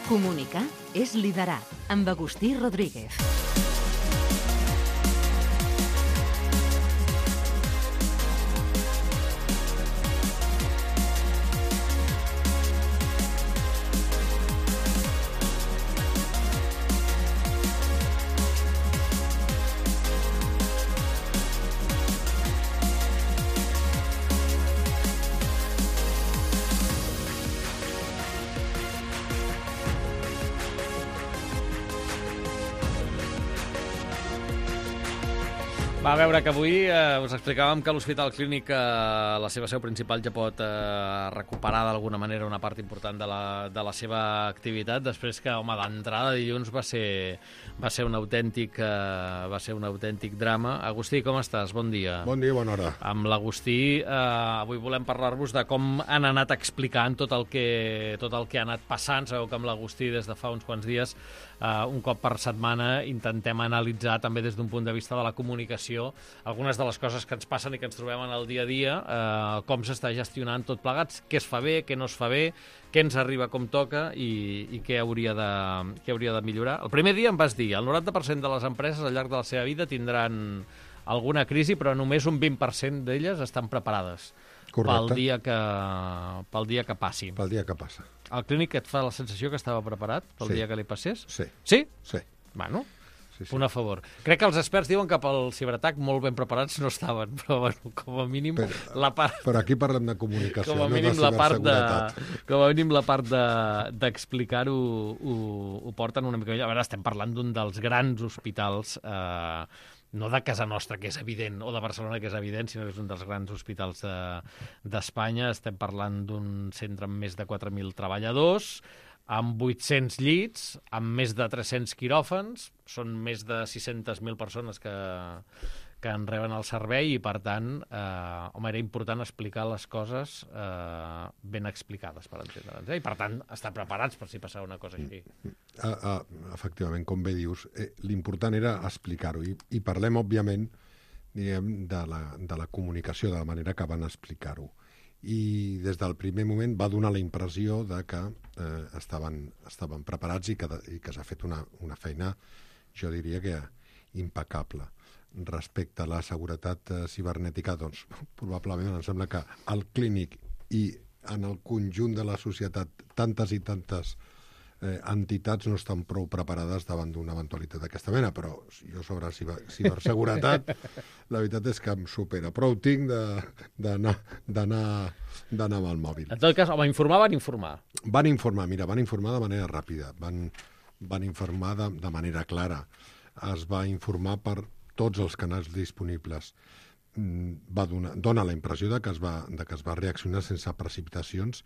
Comunicar és liderar, amb Agustí Rodríguez. Va, a veure, que avui us explicàvem que l'Hospital Clínic, la seva seu principal, ja pot recuperar d'alguna manera una part important de la seva activitat, després que, home, d'entrada dilluns va ser un autèntic drama. Agustí, com estàs? Bon dia. Bon dia, bona hora. Amb l'Agustí, avui volem parlar-vos de com han anat explicant tot el que ha anat passant. Sabeu que amb l'Agustí, des de fa uns quants dies, un cop per setmana, intentem analitzar també des d'un punt de vista de la comunicació algunes de les coses que ens passen i que ens trobem en el dia a dia, com s'està gestionant tot plegats, què es fa bé, què no es fa bé, què ens arriba com toca i què hauria de millorar. El primer dia em vas dir, el 90% de les empreses al llarg de la seva vida tindran alguna crisi, però només un 20% d'elles estan preparades. Correcte. Pel dia que passi. Pel dia que passa. Al Clínic et fa la sensació que estava preparat pel dia que li passés? Sí. Sí? Sí. Bueno, sí. Punt a favor. Crec que els experts diuen que pel ciberatac molt ben preparats no estaven, però bueno, com a mínim la part... Però aquí parlem de comunicació, com a mínim, no de ciberseguretat. Com a mínim la part d'explicar-ho ho porten una mica millor. A veure, estem parlant d'un dels grans hospitals, no de casa nostra, que és evident, o de Barcelona, que és evident, sinó que és un dels grans hospitals d'Espanya. Estem parlant d'un centre amb més de 4.000 treballadors, amb 800 llits, amb més de 300 quiròfans, són més de 600.000 persones que en reben el servei i, per tant, era important explicar les coses ben explicades, per entendre'ns. I, per tant, estar preparats per si passava una cosa així. Efectivament, com bé dius, l'important era explicar-ho. I parlem, òbviament, diguem, de la comunicació, de la manera que van explicar-ho. I des del primer moment va donar la impressió de que estaven preparats i que s'ha fet una feina, jo diria que impecable. Respecte a la seguretat cibernètica, doncs, probablement em sembla que al Clínic i en el conjunt de la societat tantes i tantes entitats no estan prou preparades davant d'una eventualitat d'aquesta mena, però jo sobre ciberseguretat la veritat és que em supera. Prou tinc d'anar amb el mòbil. En tot cas, home, van informar. Van informar de manera ràpida, van informar de manera clara. Es va informar per tots els canals disponibles. Dona la impressió de que es va reaccionar sense precipitacions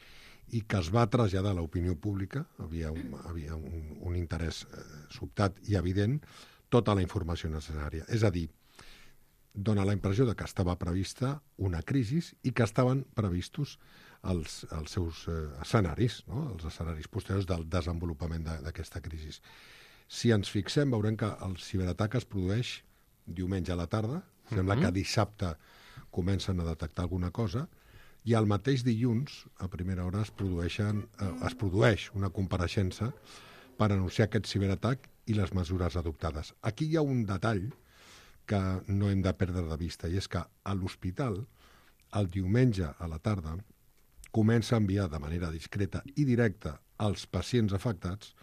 i que es va traslladar a l'opinió pública, havia un interès sobtat i evident, tota la informació necessària. És a dir, dona la impressió de que estava prevista una crisi i que estaven previstos els seus escenaris, no? Els escenaris posteriors del desenvolupament d'aquesta crisi. Si ens fixem, veurem que el ciberatac es produeix diumenge a la tarda, sembla que dissabte comencen a detectar alguna cosa, i el mateix dilluns, a primera hora, es produeix una compareixença per anunciar aquest ciberatac i les mesures adoptades. Aquí hi ha un detall que no hem de perdre de vista, i és que a l'hospital, el diumenge a la tarda, comença a enviar de manera discreta i directa als pacients afectats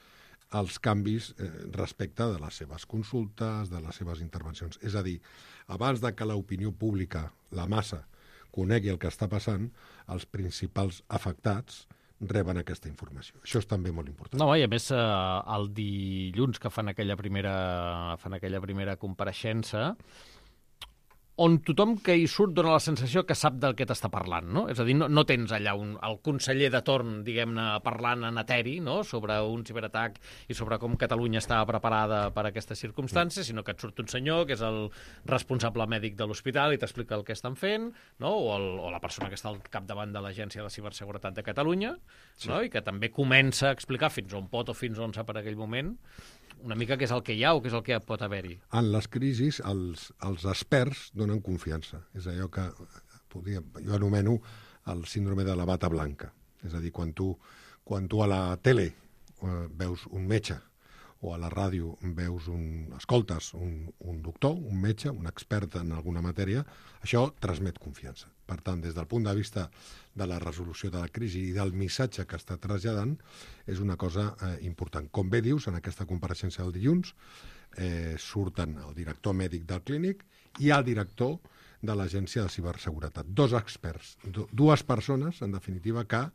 els canvis respecte de les seves consultes, de les seves intervencions. És a dir, abans de que l'opinió pública, la massa, conegui el que està passant, els principals afectats reben aquesta informació. Això és també molt important. No, i a més, el dilluns que fan aquella primera compareixença, on tothom que hi surt dona la sensació que sap del que t'està parlant, no? És a dir, no tens allà el conseller de torn, diguem-ne, parlant en eteri, no?, sobre un ciberatac i sobre com Catalunya estava preparada per a aquestes circumstàncies, sinó que et surt un senyor que és el responsable mèdic de l'hospital i t'explica el que estan fent, no?, o la persona que està al capdavant de l'Agència de Ciberseguretat de Catalunya, no?, i que també comença a explicar fins on pot o fins on sap per aquell moment una mica què és el que hi ha o què és el que pot haver-hi. En les crisis, els experts donen confiança. És allò que jo anomeno el síndrome de la bata blanca. És a dir, quan tu a la tele veus un metge, o a la ràdio escoltes un doctor, un metge, un expert en alguna matèria, això transmet confiança. Per tant, des del punt de vista de la resolució de la crisi i del missatge que està traslladant, és una cosa important. Com bé dius, en aquesta compareixença del dilluns surten el director mèdic del clínic i el director de l'Agència de Ciberseguretat. Dos experts, dues persones, en definitiva, que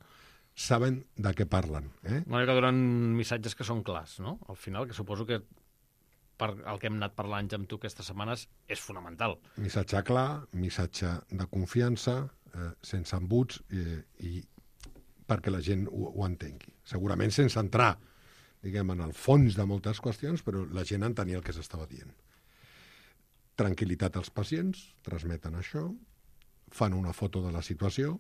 saben de què parlen. Una mica donen missatges que són clars, no? Al final, que suposo que per el que hem anat parlant amb tu aquestes setmanes és fonamental. Missatge clar, missatge de confiança, sense embuts, i perquè la gent ho entengui. Segurament sense entrar, diguem, en el fons de moltes qüestions, però la gent entenia el que s'estava dient. Tranquil·litat als pacients, transmeten això, fan una foto de la situació,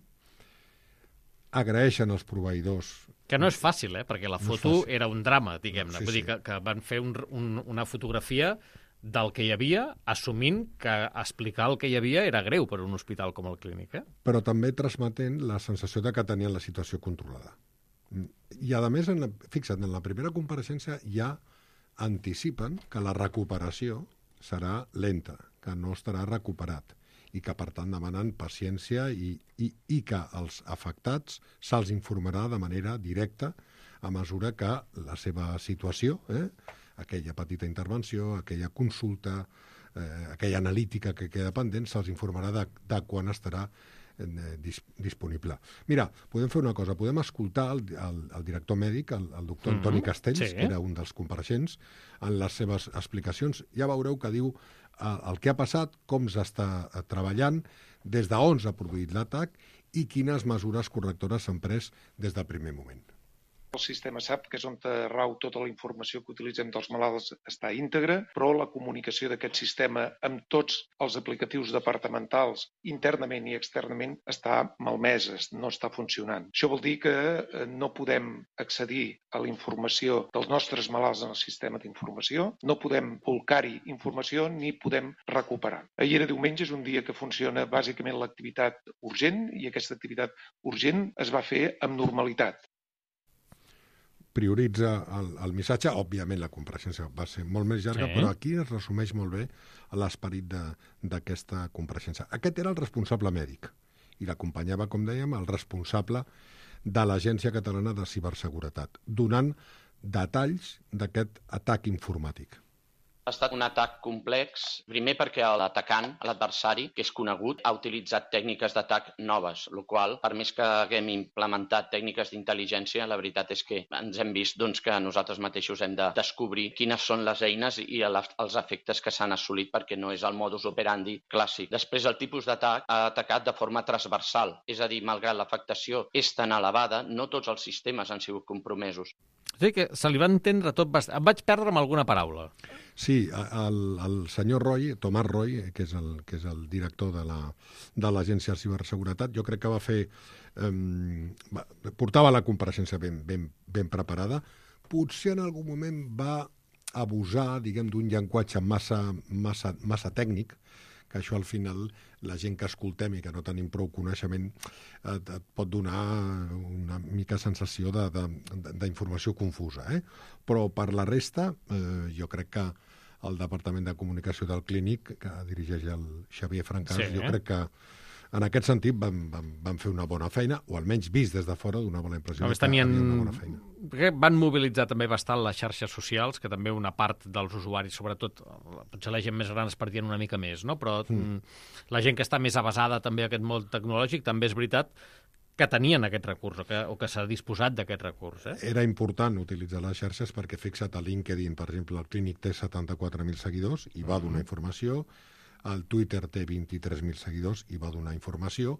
agraeixen als proveïdors... Que no és fàcil, perquè la foto era un drama, diguem-ne. Sí, Vull dir que van fer una fotografia del que hi havia, assumint que explicar el que hi havia era greu per a un hospital com el Clínic. Però també transmetent la sensació de que tenien la situació controlada. I, a més, fixa't, en la primera compareixença ja anticipen que la recuperació serà lenta, que no estarà recuperat, i que, per tant, demanen paciència i que als afectats se'ls informarà de manera directa a mesura que la seva situació, aquella petita intervenció, aquella consulta, aquella analítica que queda pendent, se'ls informarà de quan estarà disponible. Mira, podem fer una cosa, podem escoltar el director mèdic, el doctor Antoni Castells, que era un dels compareixents, en les seves explicacions. Ja veureu que diu el que ha passat, com s'està treballant, des d'on s'ha produït l'atac i quines mesures correctores s'han pres des del primer moment. El sistema SAP, que és on rau tota la informació que utilitzem dels malalts, està íntegra, però la comunicació d'aquest sistema amb tots els aplicatius departamentals, internament i externament, està malmesa, no està funcionant. Això vol dir que no podem accedir a la informació dels nostres malalts en el sistema d'informació, no podem volcar-hi informació ni podem recuperar. Ahir era diumenge, és un dia que funciona bàsicament l'activitat urgent, i aquesta activitat urgent es va fer amb normalitat. Prioritza el missatge. Òbviament, la compareixença va ser molt més llarga, però aquí es resumeix molt bé l'esperit d'aquesta compareixença. Aquest era el responsable mèdic i l'acompanyava, com dèiem, el responsable de l'Agència Catalana de Ciberseguretat, donant detalls d'aquest atac informàtic. Ha estat un atac complex, primer perquè l'atacant, l'adversari, que és conegut, ha utilitzat tècniques d'atac noves, el qual, per més que haguem implementat tècniques d'intel·ligència, la veritat és que ens hem vist que nosaltres mateixos hem de descobrir quines són les eines i els efectes que s'han assolit, perquè no és el modus operandi clàssic. Després, el tipus d'atac ha atacat de forma transversal, és a dir, malgrat l'afectació és tan elevada, no tots els sistemes han sigut compromesos. És a dir, que se li va entendre tot bastant. Em vaig perdre amb alguna paraula. Sí, el senyor Roy, Tomàs Roy, que és el director de l'Agència de Ciberseguretat, jo crec que va fer... portava la compareixença ben preparada. Potser en algun moment va abusar, diguem, d'un llenguatge massa tècnic, que això al final la gent que escoltem i que no tenim prou coneixement et pot donar una mica sensació d'informació confusa. Però per la resta, jo crec que el Departament de Comunicació del Clínic, que dirigeix el Xavier Francàs, jo crec que en aquest sentit van fer una bona feina, o almenys vist des de fora, d'una bona impressió que havia una bona feina. Van mobilitzar també bastant les xarxes socials, que també una part dels usuaris, sobretot, potser la gent més gran es perdien una mica més, no? Però la gent que està més avasada també a aquest món tecnològic, també és veritat que tenien aquest recurs, o que s'ha disposat d'aquest recurs. Era important utilitzar les xarxes perquè, fixa't, a LinkedIn, per exemple, el Clínic té 74.000 seguidors i va donar informació, el Twitter té 23.000 seguidors i va donar informació,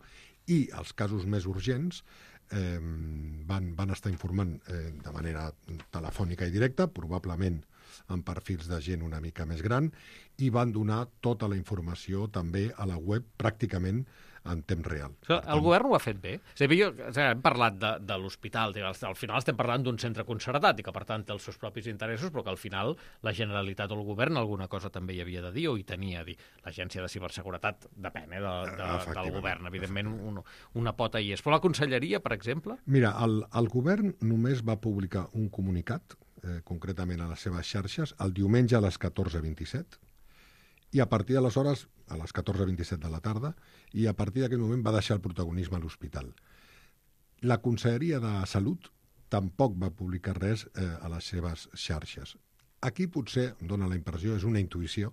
i els casos més urgents van estar informant de manera telefònica i directa, probablement amb perfils de gent una mica més gran, i van donar tota la informació també a la web pràcticament en temps real. El govern ho ha fet bé. És a dir, hem parlat de l'hospital, al final estem parlant d'un centre concertat i que, per tant, té els seus propis interessos, però que al final la Generalitat o el govern alguna cosa també hi havia de dir o hi tenia a dir. L'Agència de Ciberseguretat depèn del govern, evidentment una pota hi és. Però la Conselleria, per exemple? Mira, el govern només va publicar un comunicat, concretament a les seves xarxes, el diumenge a les 14:27, i a partir d'aleshores, a les 14:27 de la tarda, i a partir d'aquell moment va deixar el protagonisme a l'hospital. La Conselleria de Salut tampoc va publicar res a les seves xarxes. Aquí potser, em dóna la impressió, és una intuïció,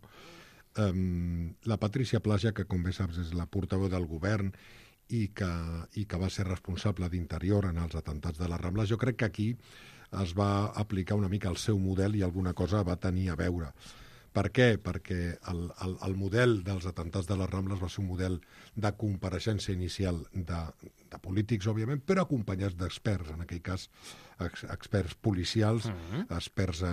la Patrícia Plaja, que com bé saps és la portaveu del govern i que va ser responsable d'Interior en els atemptats de les Rambles, jo crec que aquí es va aplicar una mica el seu model i alguna cosa va tenir a veure. Per què? Perquè el model dels atemptats de les Rambles va ser un model de compareixença inicial de polítics, òbviament, però acompanyats d'experts, en aquell cas experts policials, experts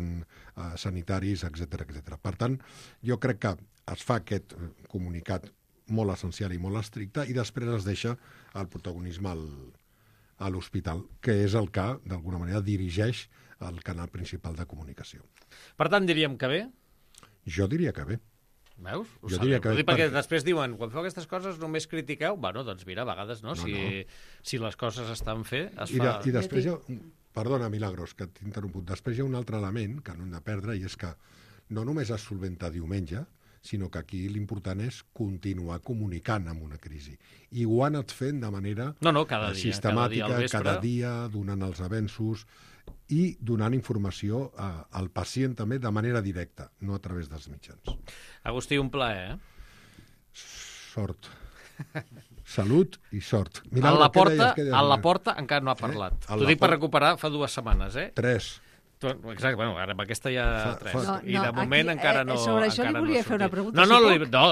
sanitaris, etc. Per tant, jo crec que es fa aquest comunicat molt essencial i molt estricte i després es deixa el protagonisme a l'hospital, que és el que, d'alguna manera, dirigeix el canal principal de comunicació. Per tant, diríem que bé? Jo diria que bé. Veus? Jo diria que bé. Perquè després diuen, quan feu aquestes coses només critiqueu. Bueno, doncs mira, a vegades no. Si les coses estan fet, es fa... I després perdona, Milagros, que t'he interromput. Després hi ha un altre element que no hem de perdre i és que no només es solventa diumenge, sinó que aquí l'important és continuar comunicant amb una crisi. I ho han anat fent de manera sistemàtica, cada dia, donant els avenços i donant informació al pacient també de manera directa, no a través dels mitjans. Agustí, un plaer, Sort. Salut i sort. A la porta encara no ha parlat. T'ho dic per recuperar fa 2 setmanes, 3. Exacte, bueno, ara amb aquesta ja 3. I de moment encara no... Sobre això li volia fer una pregunta. No,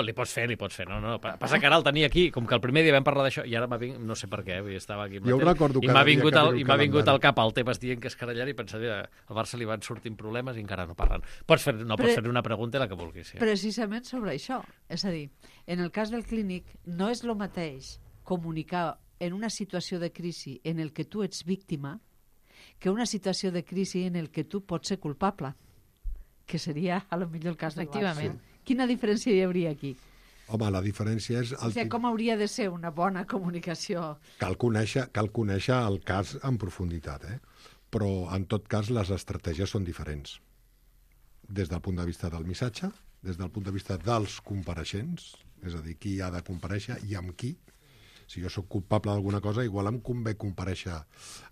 li pots fer. No. Passa que ara el tenia aquí, com que el primer dia vam parlar d'això, i ara no sé per què, estava aquí. Jo ho recordo i m'ha vingut al cap el tema dient que es carallar i pensar que al Barça li van sortint problemes i encara no parlen. Pots fer una pregunta i la que vulguis. Precisament sobre això. És a dir, en el cas del clínic, no és el mateix comunicar en una situació de crisi en el que tu ets víctima que una situació de crisi en el que tu pots ser culpable, que seria, a lo millor, el cas del Barça. Quina diferència hi hauria aquí? Home, la diferència és... Com hauria de ser una bona comunicació? Cal conèixer el cas en profunditat, però, en tot cas, les estratègies són diferents. Des del punt de vista del missatge, des del punt de vista dels compareixents, és a dir, qui ha de comparèixer i amb qui. Si jo sóc culpable d'alguna cosa, igual em convé comparèixer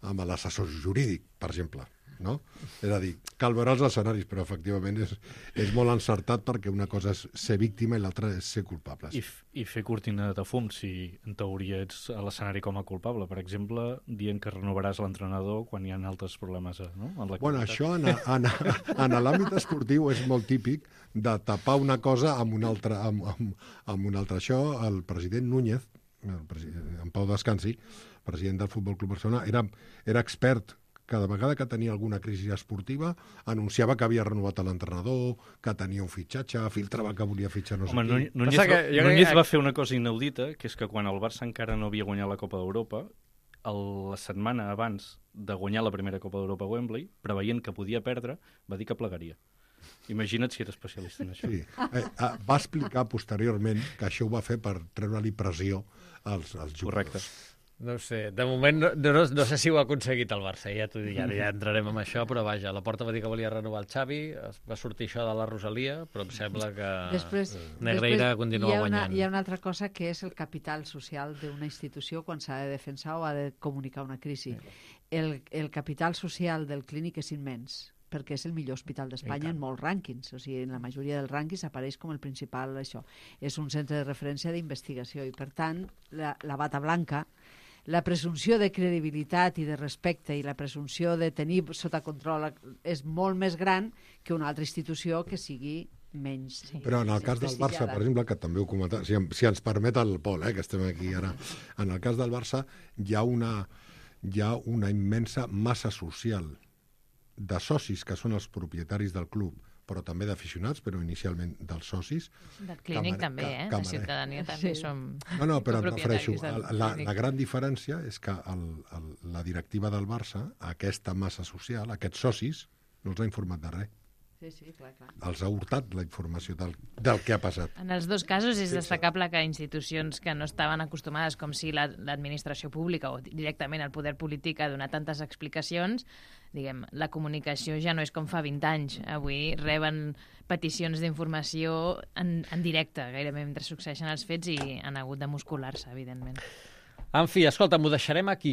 amb l'assessor jurídic, per exemple, no? És a dir, cal veure els escenaris, però efectivament és molt encertat perquè una cosa és ser víctima i l'altra és ser culpable. I fer cortina de fum, si en teoria ets a l'escenari com a culpable. Per exemple, dient que renovaràs l'entrenador quan hi ha altres problemes, no? Bueno, això en l'àmbit esportiu és molt típic de tapar una cosa amb una altra. Això, el president Núñez, en Pau Descansi, president del Futbol Club Barcelona, era expert. Cada vegada que tenia alguna crisi esportiva anunciava que havia renovat l'entrenador, que tenia un fitxatge, filtrava que volia fitxar no sé qui. Núñez va fer una cosa inaudita, que és que quan el Barça encara no havia guanyat la Copa d'Europa, la setmana abans de guanyar la primera Copa d'Europa a Wembley, preveient que podia perdre, va dir que plegaria. Imagina't si era especialista en això. Sí. Va explicar posteriorment que això ho va fer per treure-li pressió als jugadors. Correcte. No sé, de moment no sé si ho ha aconseguit el Barça, ja t'ho dic, ja entrarem en això, però vaja, la Porta va dir que volia renovar el Xavi, va sortir això de la Rosalia, però em sembla que Negreira continua guanyant. Hi ha una altra cosa que és el capital social d'una institució quan s'ha de defensar o ha de comunicar una crisi. El capital social del clínic és immens, perquè és el millor hospital d'Espanya en molts rànquings. O sigui, en la majoria dels rànquings apareix com el principal això. És un centre de referència d'investigació i, per tant, la bata blanca, la presumpció de credibilitat i de respecte i la presumpció de tenir sota control és molt més gran que una altra institució que sigui menys. Però en el cas del Barça, per exemple, que també ho comentava, si ens permet el Pol, que estem aquí ara, en el cas del Barça hi ha una immensa massa social de socis que són els propietaris del club, però també d'aficionats, però inicialment dels socis. Del clínic també, de ciutadania també som No, però em copropietaris refereixo, del la clínic. gran diferència és que la directiva del Barça, aquesta massa social, aquests socis, no els ha informat de res. Sí, clar. Els ha hurtat la informació del que ha passat. En els dos casos és destacable que institucions que no estaven acostumades, com si l'administració pública o directament el poder polític a donar tantes explicacions, diguem, la comunicació ja no és com fa 20 anys. Avui reben peticions d'informació en directe, gairebé mentre succeeixen els fets, i han hagut de muscular-se, evidentment. En fi, escolta, m'ho deixarem aquí.